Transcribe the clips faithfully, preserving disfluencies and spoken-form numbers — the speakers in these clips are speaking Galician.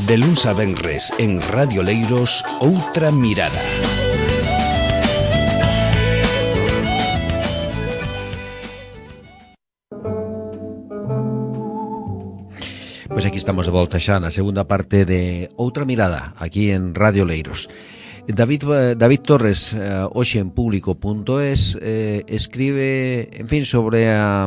De luns a venres en Radio Leiros, Outra Mirada. Pois aquí estamos de volta xa na segunda parte de Outra Mirada, aquí en Radio Leiros. David, David Torres, eh, hoxe en público punto es, eh, escribe, en fin, sobre a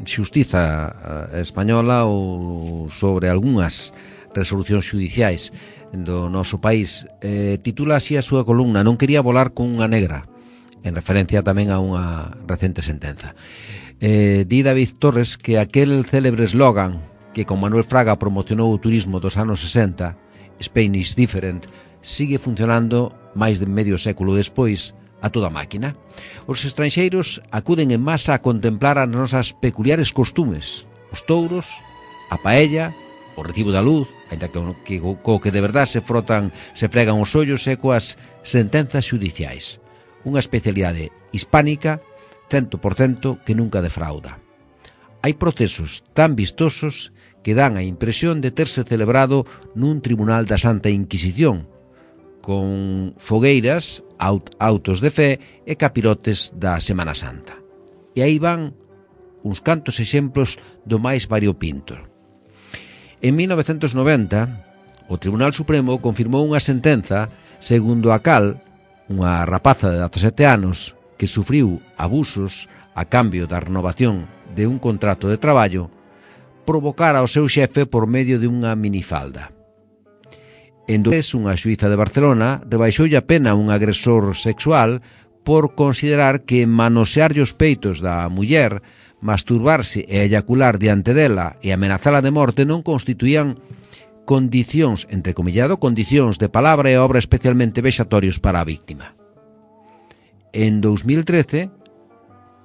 xustiza española ou sobre algunhas resolucións judiciais do noso país. Eh, titula así a súa columna "Non quería volar con unha negra", en referencia tamén a unha recente sentenza. Eh, di David Torres que aquel célebre eslogan que con Manuel Fraga promocionou o turismo dos anos sesenta, Spain is different, sigue funcionando máis de medio século despois a toda máquina. Os estranxeiros acuden en masa a contemplar as nosas peculiares costumes, os touros, a paella, o recibo da luz, ainda que, que co que de verdad se frotan, se fregan os ollos, e coas sentenzas judiciais. Unha especialidade hispánica, cento por cento, que nunca defrauda. Hai procesos tan vistosos que dan a impresión de terse celebrado nun tribunal da Santa Inquisición, con fogueiras, aut autos de fe e capirotes da Semana Santa. E aí van uns cantos exemplos do máis variopinto. En mil novecentos noventa, o Tribunal Supremo confirmou unha sentenza segundo a cal unha rapaza de dezasete anos que sufriu abusos a cambio da renovación de un contrato de traballo provocara ao seu xefe por medio de unha minifalda. En dois, unha xuíza de Barcelona rebaixoulle a pena a un agresor sexual por considerar que manosearlle os peitos da muller, masturbarse e eyacular diante dela e amenazala de morte non constituían condicións, entrecomillado, condicións de palabra e obra especialmente vexatorios para a víctima. En dous mil trece,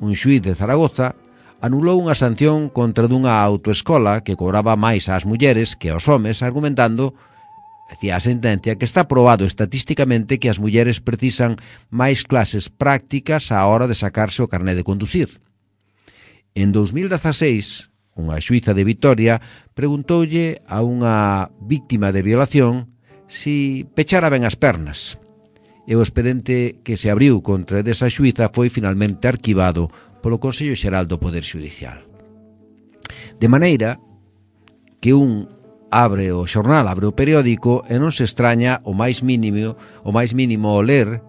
un xuíz de Zaragoza anulou unha sanción contra dunha autoescola que cobraba máis ás mulleres que aos homes, argumentando, decía a sentencia, que está probado estatísticamente que as mulleres precisan máis clases prácticas á hora de sacarse o carné de conducir. En dous mil dezaseis, unha xuíza de Vitoria preguntoulle a unha víctima de violación si pechara ben as pernas. E o expediente que se abriu contra desa xuíza foi finalmente arquivado polo Consello Xeral do Poder Xudicial. De maneira que un abre o xornal, abre o periódico e non se extraña o máis mínimo, o máis mínimo ao ler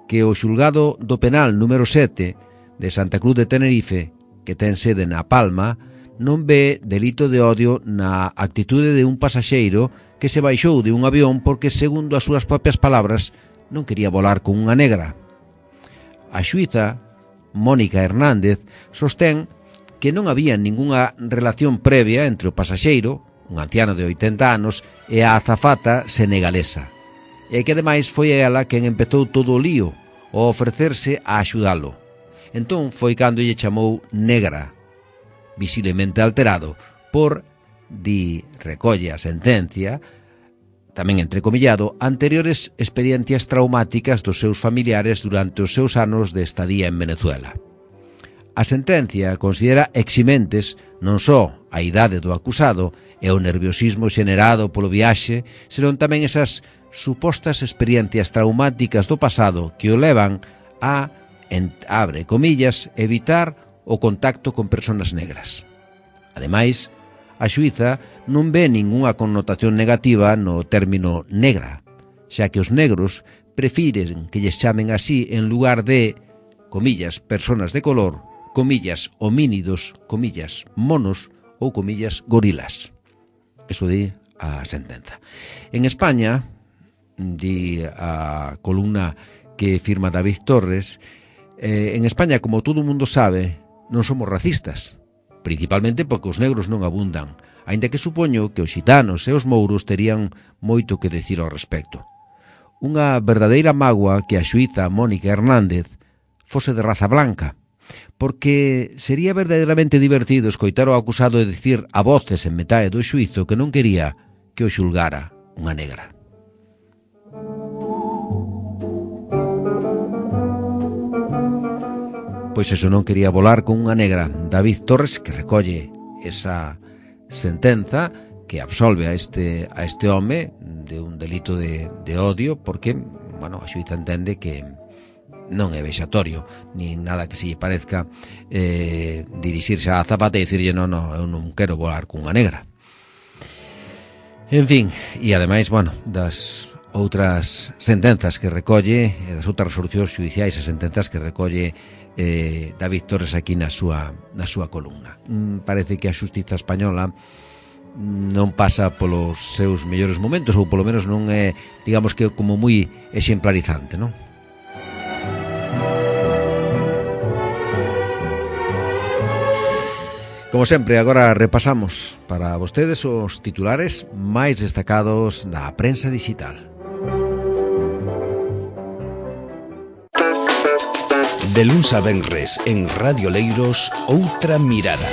que o xulgado do penal número sete de Santa Cruz de Tenerife, que ten sede na Palma, non ve delito de odio na actitude de un pasaxeiro que se baixou de un avión porque, segundo as súas propias palabras, non quería volar con unha negra. A xuíza, Mónica Hernández, sostén que non había ningunha relación previa entre o pasaxeiro, un anciano de oitenta anos, e a azafata senegalesa, e que ademais foi ela quen empezou todo o lío ao ofrecerse a axudalo. Entón foi cando lle chamou negra, visiblemente alterado por, di, recolle a sentencia, tamén entrecomillado, anteriores experiencias traumáticas dos seus familiares durante os seus anos de estadía en Venezuela. A sentencia considera eximentes non só a idade do acusado e o nerviosismo xenerado polo viaxe, senón tamén esas supostas experiencias traumáticas do pasado que o levan a, en, abre comillas, evitar o contacto con persoas negras. Ademais, a xuíza non ve ningunha connotación negativa no término negra, xa que os negros prefiren que lles chamen así en lugar de, comillas, personas de color, comillas, homínidos, comillas, monos ou comillas, gorilas. Eso di a sentenza. En España, di a columna que firma David Torres, eh, en España, como todo o mundo sabe, non somos racistas, principalmente porque os negros non abundan, aínda que supoño que os xitanos e os mouros terían moito que decir ao respecto. Unha verdadeira mágoa que a xuíza Mónica Hernández fose de raza blanca, porque sería verdadeiramente divertido escoitar o acusado dicir a voces en metade do xuízo que non quería que o xulgara unha negra. Pois eso, non quería volar con unha negra. David Torres, que recolle esa sentenza, que absolve a este a este home de un delito de, de odio, porque, bueno, a xuíza entende que non é vexatorio nin nada que se lle parezca eh, dirixirse a Zapata e dicirlle non, non, eu non quero volar cunha negra. En fin, e ademais, bueno, das outras sentenzas que recolle, das outras resolucións judiciais e sentenzas que recolle eh, David Torres aquí na súa, na súa columna. Mm, parece que a xustiza española non pasa polos seus mellores momentos, ou polo menos non é, digamos que como moi exemplarizante, non? Como sempre, agora repasamos para vostedes os titulares máis destacados da prensa digital. De luns a venres en Radio Leiros, Outra Mirada.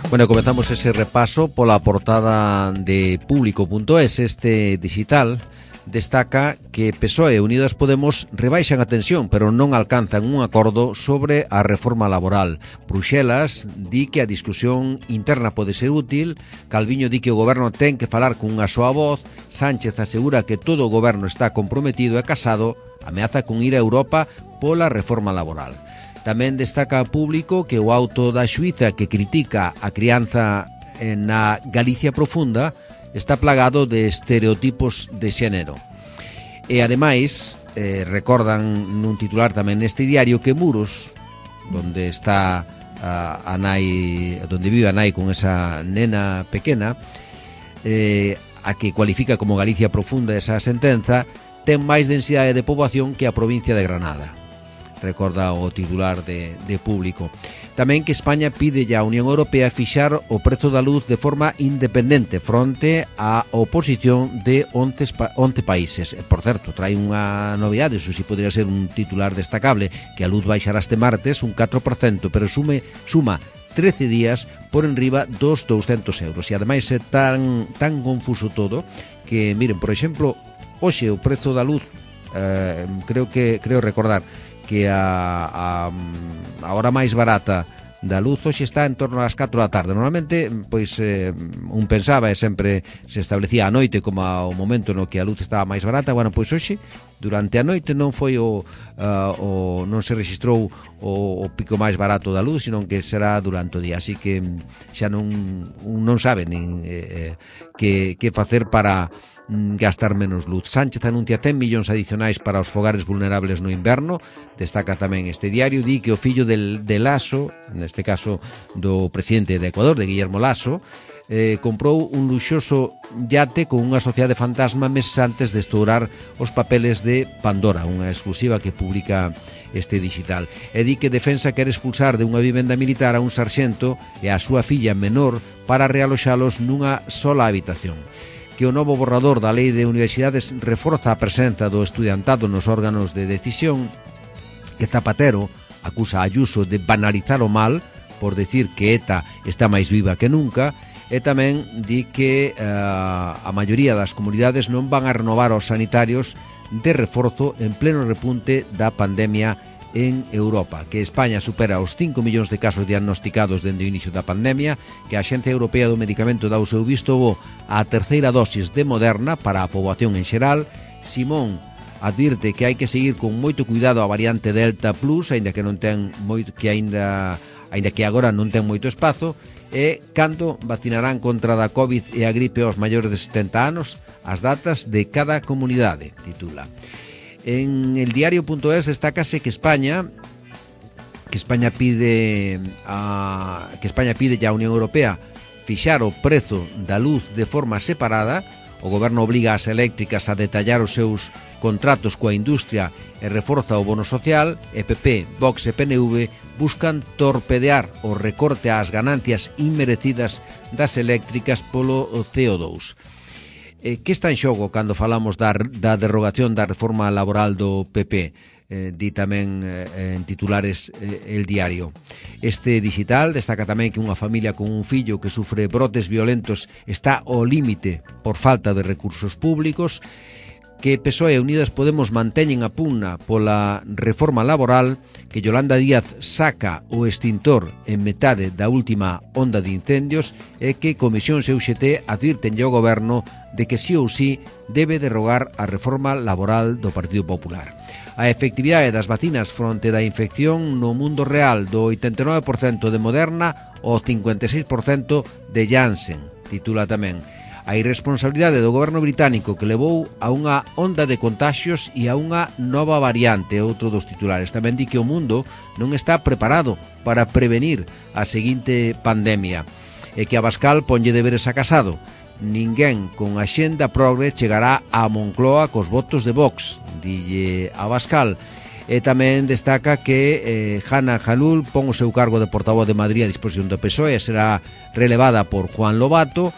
Bueno, comezamos ese repaso pola portada de público punto es. Este digital destaca que P S O E e Unidas Podemos rebaixan a tensión, pero non alcanzan un acordo sobre a reforma laboral. Bruxelas di que a discusión interna pode ser útil, Calviño di que o goberno ten que falar con unha soa voz, Sánchez asegura que todo o goberno está comprometido e Casado ameaza con ir a Europa pola reforma laboral. Tamén destaca público que o auto da xuíza que critica a crianza na Galicia profunda está plagado de estereotipos de xénero. E ademais, eh, recordan nun titular tamén neste diario que Muros, donde está a, a nai, donde vive a nai con esa nena pequena, eh, a que cualifica como Galicia profunda esa sentenza, ten máis densidade de poboación que a provincia de Granada. Recorda o titular de, de público. Tamén que España pide ya a Unión Europea fixar o prezo da luz de forma independente fronte á oposición de once, once países. Por certo, trae unha novidade, iso si podría ser un titular destacable, que a luz baixará este martes un catro por cento, pero sume, suma trece días por enriba dos douscentos euros. E ademais é tan, tan confuso todo que, miren, por exemplo, hoxe o prezo da luz, eh, creo que creo recordar que a, a, a hora máis barata da luz hoxe está en torno ás catro da tarde. Normalmente, pois, eh, un pensaba e sempre se establecía a noite como o momento no que a luz estaba máis barata. Bueno, pois hoxe, durante a noite non foi o, uh, o non se registrou o, o pico máis barato da luz, sino que será durante o día. Así que xa non, non sabe nin eh, que, que facer para gastar menos luz. Sánchez anuncia cen millóns adicionais para os fogares vulnerables no inverno. Destaca tamén este diario, di que o fillo del, de Lasso, neste caso do presidente de Ecuador, de Guillermo Lasso, eh, comprou un luxoso yate con unha sociedade fantasma meses antes de estourar os papeles de Pandora, unha exclusiva que publica este digital. E di que Defensa quere expulsar de unha vivenda militar a un sarxento e a súa filla menor para realoxalos nunha sola habitación. Que o novo borrador da Lei de Universidades reforza a presenza do estudiantado nos órganos de decisión, que Zapatero acusa a Ayuso de banalizar o mal por decir que ETA está máis viva que nunca, e tamén di que uh, a maioría das comunidades non van a renovar os sanitarios de reforzo en pleno repunte da pandemia en Europa, que España supera os cinco millóns de casos diagnosticados dende o inicio da pandemia, que a Axencia Europea do Medicamento dá o seu visto bo á terceira dosis de Moderna para a poboación en xeral. Simón advirte que hai que seguir con moito cuidado a variante Delta Plus, aínda que non ten moito, que aínda aínda que agora non ten moito espazo, e cando vacinarán contra da COVID e a gripe aos maiores de setenta anos, as datas de cada comunidade, titula. En el diario punto es destácase que España que España pide a que España pide ya a Unión Europea fixar o prezo da luz de forma separada. O goberno obriga as eléctricas a detallar os seus contratos coa industria e reforza o bono social. E P P, Vox e P N V buscan torpedear o recorte ás ganancias inmerecidas das eléctricas polo C O dous. Eh, que está en xogo cando falamos da, da derrogación da reforma laboral do P P? Eh, di tamén eh, en titulares eh, el diario. Este digital destaca tamén que unha familia con un fillo que sufre brotes violentos está ao límite por falta de recursos públicos, que P S O E e Unidas Podemos manteñen a pugna pola reforma laboral, que Yolanda Díaz saca o extintor en metade da última onda de incendios e que Comisións e U X T advirten ao goberno de que sí ou sí debe derrogar a reforma laboral do Partido Popular. A efectividade das vacinas fronte da infección no mundo real do oitenta e nove por cento de Moderna ao cincuenta e seis por cento de Janssen, titula tamén. A irresponsabilidade do goberno británico que levou a unha onda de contagios e a unha nova variante, outro dos titulares. Tamén di que o mundo non está preparado para prevenir a seguinte pandemia e que Abascal ponlle deberes a Casado. Ninguén con axenda progre chegará a Moncloa cos votos de Vox, dille Abascal. E tamén destaca que eh, Hanna Jalul pon o seu cargo de portavoz de Madrid a disposición do P S O E e será relevada por Juan Lobato.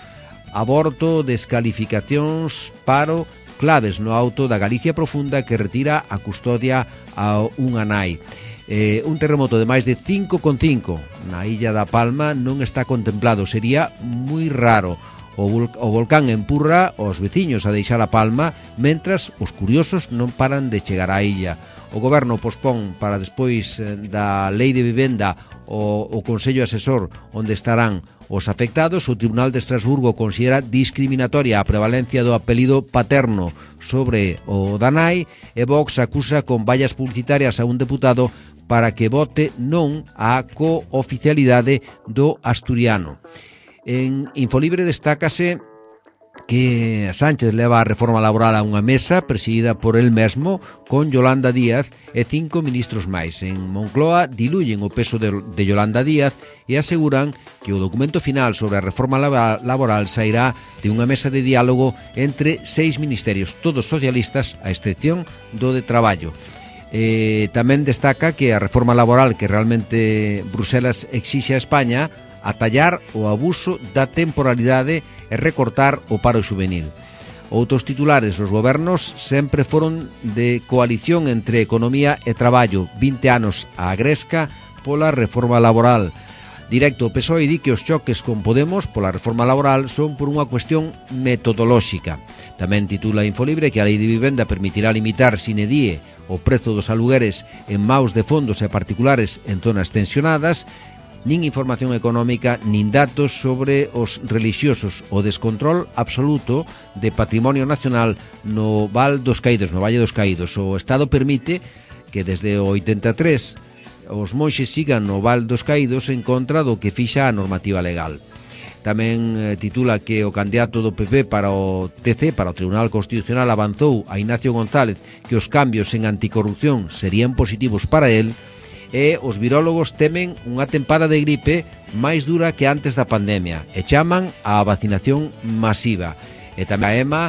Aborto, descalificacións, paro, claves no auto da Galicia Profunda que retira a custodia a unha nai. Eh, un terremoto de máis de cinco coma cinco na illa da Palma non está contemplado, sería moi raro. O, vol- o volcán empurra os veciños a deixar a Palma, mentras os curiosos non paran de chegar á illa. O goberno pospón para despois da lei de vivenda o, o Consello Asesor onde estarán os afectados. O Tribunal de Estrasburgo considera discriminatoria a prevalencia do apelido paterno sobre o da nai e Vox acusa con vallas publicitarias a un deputado para que vote non á cooficialidade do asturiano. En Infolibre destácase que Sánchez leva a reforma laboral a unha mesa presidida por el mesmo con Yolanda Díaz e cinco ministros máis. En Moncloa diluyen o peso de, de Yolanda Díaz e aseguran que o documento final sobre a reforma laboral sairá de unha mesa de diálogo entre seis ministerios, todos socialistas, a excepción do de Traballo. Eh, tamén destaca que a reforma laboral que realmente Bruselas exixe a España atallar o abuso da temporalidade e recortar o paro xuvenil. Outros titulares, os gobernos sempre foron de coalición entre economía e traballo, vinte anos a gresca pola reforma laboral. Directo, o P S O E di que os choques con Podemos pola reforma laboral son por unha cuestión metodolóxica. Tamén titula Infolibre que a lei de vivenda permitirá limitar sine die o prezo dos alugueres en maus de fondos e particulares en zonas tensionadas. Nin información económica, nin datos sobre os relixiosos, o descontrol absoluto de patrimonio nacional no Val dos Caídos, no Valle dos Caídos. O Estado permite que desde o oitenta e tres os monxes sigan no Val dos Caídos en contra do que fixa a normativa legal. Tamén eh, titula que o candidato do P P para o T C, para o Tribunal Constitucional, avanzou a Ignacio González que os cambios en anticorrupción serían positivos para él. E os virólogos temen unha tempada de gripe máis dura que antes da pandemia e chaman á vacinación masiva. E tamén a EMA,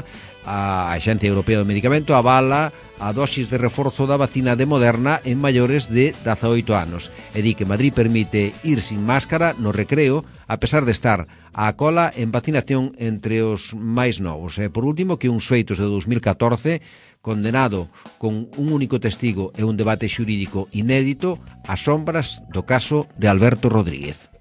a Axencia Europea do Medicamento, avala a dosis de reforzo da vacina de Moderna en maiores de dezaoito anos e di que Madrid permite ir sin máscara no recreo a pesar de estar á cola en vacinación entre os máis novos. E por último, que uns feitos de dos mil catorce condenado con un único testigo e un debate xurídico inédito ás sombras do caso de Alberto Rodríguez.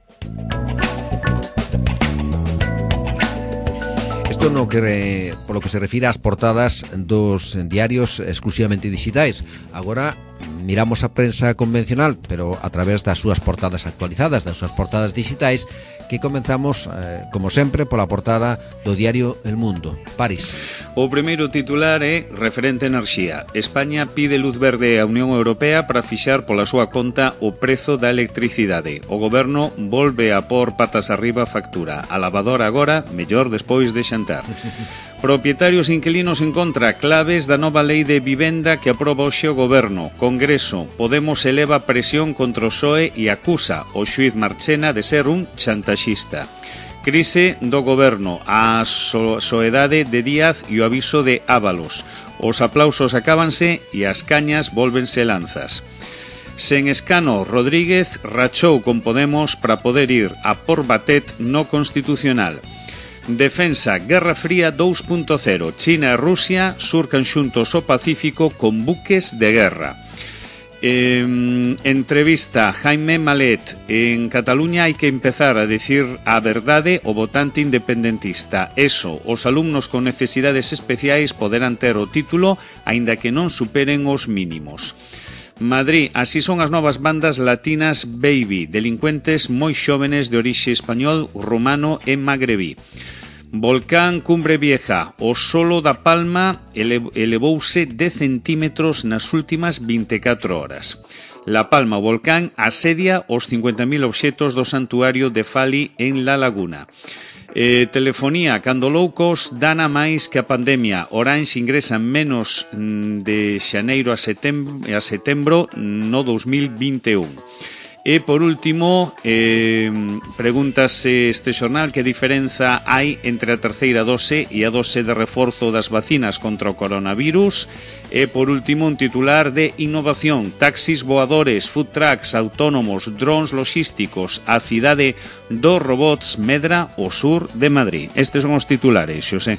Isto no que, polo que se refira ás portadas dos diarios exclusivamente digitais. Agora miramos a prensa convencional, pero a través das súas portadas actualizadas, das súas portadas digitais, que comenzamos, eh, como sempre, pola portada do diario El Mundo. París. O primeiro titular é referente a enerxía. España pide luz verde á Unión Europea para fixar pola súa conta o prezo da electricidade. O goberno volve a por patas arriba a factura. A lavadora agora, mellor despois de xantar. Propietarios e inquilinos en contra, claves da nova lei de vivenda que aproba hoxe o goberno. Congreso, Podemos eleva presión contra o P S O E e acusa o xuiz Marchena de ser un chantaxista. Crise do goberno, a so soedade de Díaz e o aviso de Ábalos. Os aplausos acábanse e as cañas volvense lanzas. Sen escano, Rodríguez rachou con Podemos para poder ir a por Batet no Constitucional. Defensa, Guerra Fría dos punto cero. China e Rusia surcan xuntos o Pacífico con buques de guerra. Eh, entrevista Jaime Malet. En Cataluña hai que empezar a decir a verdade o votante independentista. Eso, os alumnos con necesidades especiais poderán ter o título aínda que non superen os mínimos. Madrid, así son as novas bandas latinas Baby, delincuentes moi xóvenes de orixe español, rumano e magrebí. Volcán Cumbre Vieja, o solo da Palma elevouse dez centímetros nas últimas vinte e catro horas. La Palma, o volcán, asedia os cincuenta mil obxetos do santuario de Fali en La Laguna. Eh, telefonía, cando loucos dana máis que a pandemia. Orange ingresa menos de xaneiro a setembro, a setembro no dos mil vinte e un. E, por último, eh, pregúntase este xornal que diferenza hai entre a terceira dose e a dose de reforzo das vacinas contra o coronavirus. E, por último, un titular de innovación. Taxis voadores, food trucks, autónomos, drones logísticos. A cidade dos robots medra o sur de Madrid. Estes son os titulares, Xosé.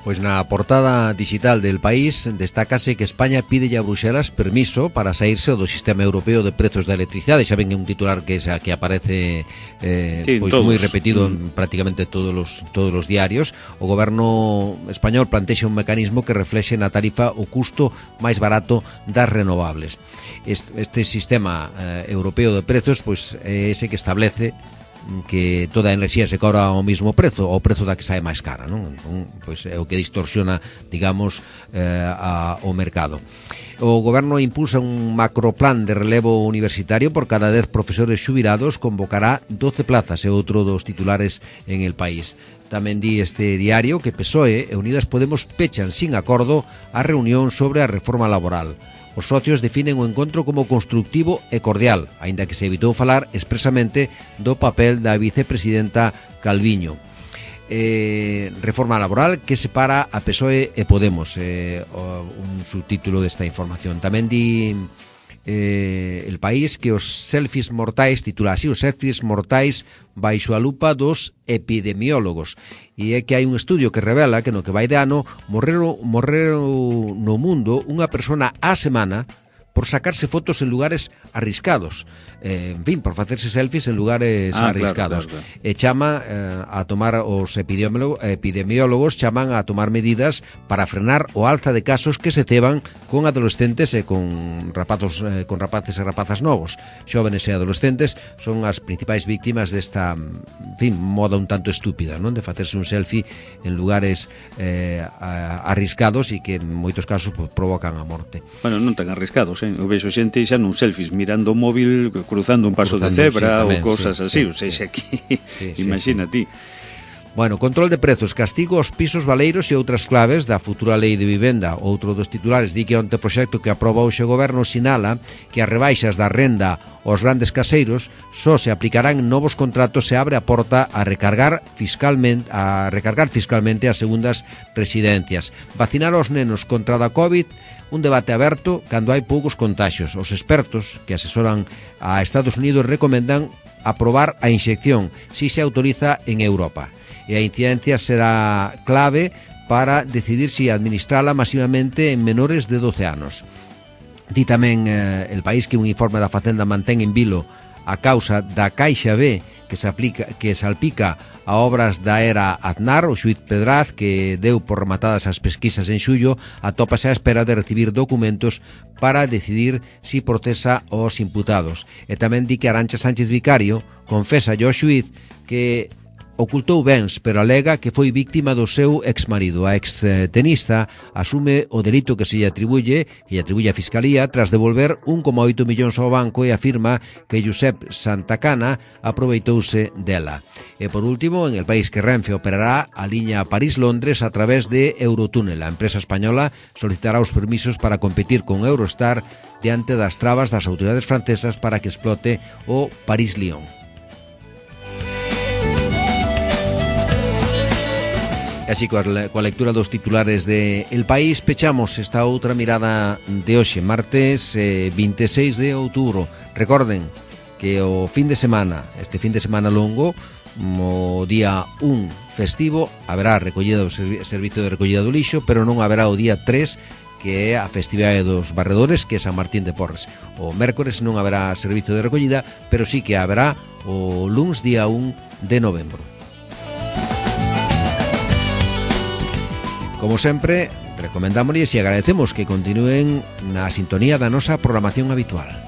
Pois na portada digital del País destácase que España pide a Bruxelas permiso para saírse do sistema europeo de prezos da electricidade. Xa ven un titular que xa que aparece eh, sí, pois moi repetido en prácticamente todos os todos os diarios. O goberno español plantexa un mecanismo que reflexe na tarifa o custo máis barato das renovables. Este, este sistema eh, europeo de prezos pois é ese que establece que toda a enerxía se cobra ao mesmo prezo, ao prezo da que sae máis cara, non? Entón, pois é o que distorsiona, digamos, eh, a, o mercado. O goberno impulsa un macroplan de relevo universitario por cada dez profesores xubilados, convocará doce plazas, é outro dos titulares en El País. Tamén di este diario que P S O E e Unidas Podemos pechan sin acordo a reunión sobre a reforma laboral. Os socios definen o encontro como constructivo e cordial, aínda que se evitou falar expresamente do papel da vicepresidenta Calviño. Eh, reforma laboral que separa a P S O E e Podemos, eh, un subtítulo desta información. Tamén di eh, El País que os selfies mortais, titula así, os selfies mortais baixo a lupa dos epidemiólogos, e é que hai un estudio que revela que no que vai de ano morreron, morreron no mundo unha persona á semana por sacarse fotos en lugares arriscados, eh, en fin, por facerse selfies en lugares ah, arriscados. Claro, claro, claro. E chama eh, a tomar, os epidemiólogos, epidemiólogos chaman a tomar medidas para frenar o alza de casos que se ceban con adolescentes e con rapazos, eh, con rapaces e rapazas novos. Xóvenes e adolescentes son as principais víctimas desta, en fin, moda un tanto estúpida, non? De facerse un selfie en lugares eh, arriscados e que en moitos casos pues, provocan a morte. Bueno, non tan arriscados, eu vexo xente xa nun selfies mirando o móvil, cruzando un paso cruzando, de cebra sí, tamén, ou cosas sí, así, sí, ou seja, aquí sí, sí, imagina sí, sí. ti. Bueno, control de prezos, castigo aos pisos valeiros e outras claves da futura lei de vivenda. Outro dos titulares di que onte proxecto que aproba hoxe o goberno sinala que as rebaixas da renda aos grandes caseiros só se aplicarán en novos contratos se abre a porta a recargar fiscalmente a recargar fiscalmente as segundas residencias. Vacinar aos nenos contra a COVID, un debate aberto cando hai poucos contaxios. Os expertos que asesoran a Estados Unidos recomendan aprobar a inxección si se autoriza en Europa. E a incidencia será clave para decidir si administrala masivamente en menores de doce anos. Di tamén eh, El País que un informe da Facenda mantén en vilo a causa da Caixa B que se aplica que salpica a obras da era Aznar. O xuíz Pedraz, que deu por rematadas as pesquisas en xullo, atópase á espera de recibir documentos para decidir si procesa os imputados. E tamén di que Arantxa Sánchez Vicario confesa ao xuíz que ocultou bens, pero alega que foi víctima do seu exmarido. A extenista asume o delito que se lle atribuye, que lle atribuye a Fiscalía, tras devolver un coma oito millóns ao banco, e afirma que Josep Santacana aproveitouse dela. E por último, en El País, que Renfe operará a liña París-Londres a través de Eurotúnel. A empresa española solicitará os permisos para competir con Eurostar diante das trabas das autoridades francesas para que explote o París-Lyon. Así, coa lectura dos titulares de El País, pechamos esta outra mirada de hoxe, martes eh, vinte e seis de outubro. Recorden que o fin de semana, este fin de semana longo, o día un festivo, haberá recollida o servicio de recollida do lixo, pero non haberá o día tres, que é a festividade dos barredores, que é San Martín de Porres. O mércores non haberá servizo de recollida, pero sí que haberá o luns día un de novembro. Como sempre, recomendámosles e agradecemos que continúen na sintonía da nosa programación habitual.